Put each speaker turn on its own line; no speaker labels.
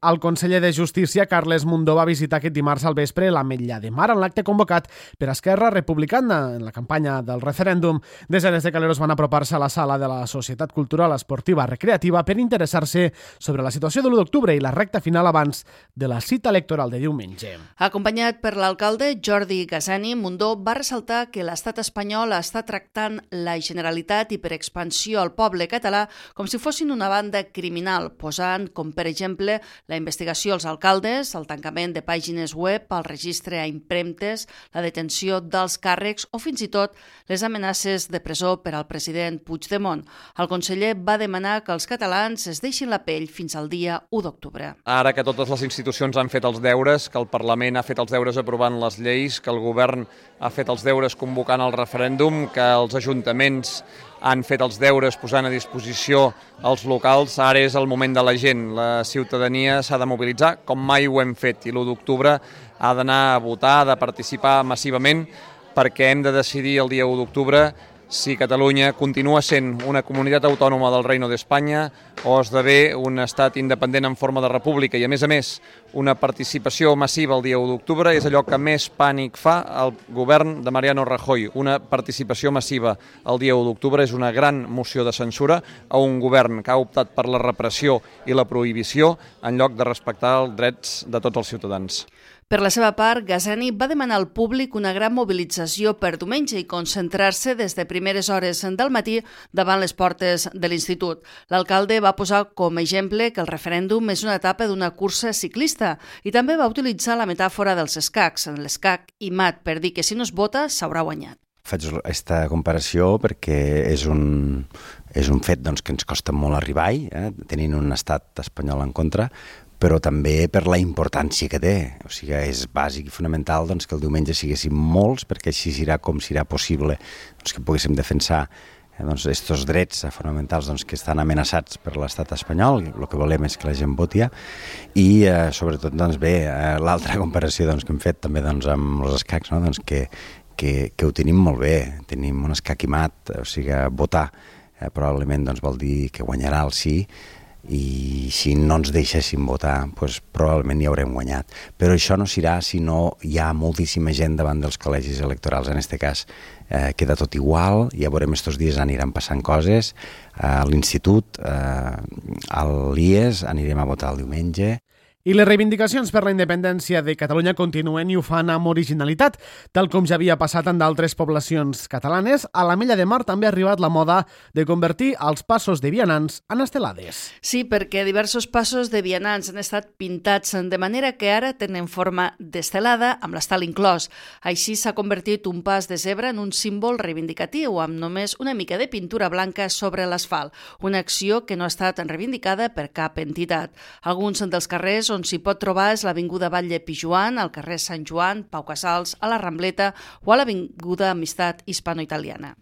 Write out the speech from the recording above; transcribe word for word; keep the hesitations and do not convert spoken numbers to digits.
El conseller de Justícia, Carles Mundó, va visitar aquest dimarts al vespre l'Ametlla de Mar en l'acte convocat per Esquerra Republicana en la campanya del referèndum. Desenes de caleros van apropar-se a la sala de la Societat Cultural Esportiva Recreativa per interessar-se sobre la situació de l'u d'octubre i la recta final abans de la cita electoral de diumenge.
Acompanyat per l'alcalde Jordi Gasani, Mundó va ressaltar que l'estat espanyol està tractant la Generalitat i per expansió al poble català com si fossin una banda criminal, posant com per exemple la investigació als alcaldes, el tancament de pàgines web, el registre a impremtes, la detenció dels càrrecs o fins i tot les amenaces de presó per al president Puigdemont. El conseller va demanar que els catalans es deixin la pell fins al dia u d'octubre.
Ara que totes les institucions han fet els deures, que el Parlament ha fet els deures aprovant les lleis, que el govern ha fet els deures convocant el referèndum, que els ajuntaments han fet els deures posant a disposició els locals, ara és el moment de la gent. La ciutadania s'ha de mobilitzar com mai ho hem fet i l'u d'octubre ha d'anar a votar, ha de participar massivament perquè hem de decidir el dia u d'octubre si Catalunya continua sent una comunitat autònoma del Reino d'Espanya o esdevé un estat independent en forma de república. I a més a més, una participació massiva el dia u d'octubre és allò que més pànic fa al govern de Mariano Rajoy. Una participació massiva el dia u d'octubre és una gran moció de censura a un govern que ha optat per la repressió i la prohibició en lloc de respectar els drets de tots els ciutadans.
Per la seva part, Gasani va demanar al públic una gran mobilització per diumenge i concentrar-se des de primeres hores del matí davant les portes de l'institut. L'alcalde va posar com a exemple que el referèndum és una etapa d'una cursa ciclista i també va utilitzar la metàfora dels escacs, l'escac i mat, per dir que si no es vota s'haurà guanyat.
Faig aquesta comparació perquè és un, és un fet doncs, que ens costa molt arribar-hi, eh, tenint un estat espanyol en contra, però també per la importància que té. O sigui, és bàsic i fonamental doncs, que el diumenge siguéssim molts, perquè així serà com serà possible doncs, que poguéssim defensar eh, doncs, estos drets fonamentals doncs, que estan amenaçats per l'estat espanyol. El que volem és que la gent voti i eh, sobretot doncs, bé, eh, l'altra comparació doncs, que hem fet també doncs, amb els escacs, no? doncs, que, que, que ho tenim molt bé, tenim un escac i mat, o sigui, votar eh, probablement doncs, vol dir que guanyarà el sí, i si no ens deixéssim votar, doncs probablement hi haurem guanyat. Però això no serà si no hi ha moltíssima gent davant dels col·legis electorals. En aquest cas eh, queda tot igual, ja veurem estos dies aniran passant coses, a l'institut, eh, a l'I E S, anirem a votar el diumenge.
I les reivindicacions per la independència de Catalunya continuen i ho fan amb originalitat. Tal com ja havia passat en d'altres poblacions catalanes, a l'Ametlla de Mar també ha arribat la moda de convertir els passos de vianants en estelades.
Sí, perquè diversos passos de vianants han estat pintats de manera que ara tenen forma d'estelada amb l'estel inclòs. Així s'ha convertit un pas de zebra en un símbol reivindicatiu amb només una mica de pintura blanca sobre l'asfalt, una acció que no ha estat reivindicada per cap entitat. Alguns dels carrers on s'hi pot trobar és l'Avinguda Batlle Pijoan, al carrer Sant Joan, Pau Casals, a la Rambleta o a l'Avinguda Amistat Hispano-Italiana.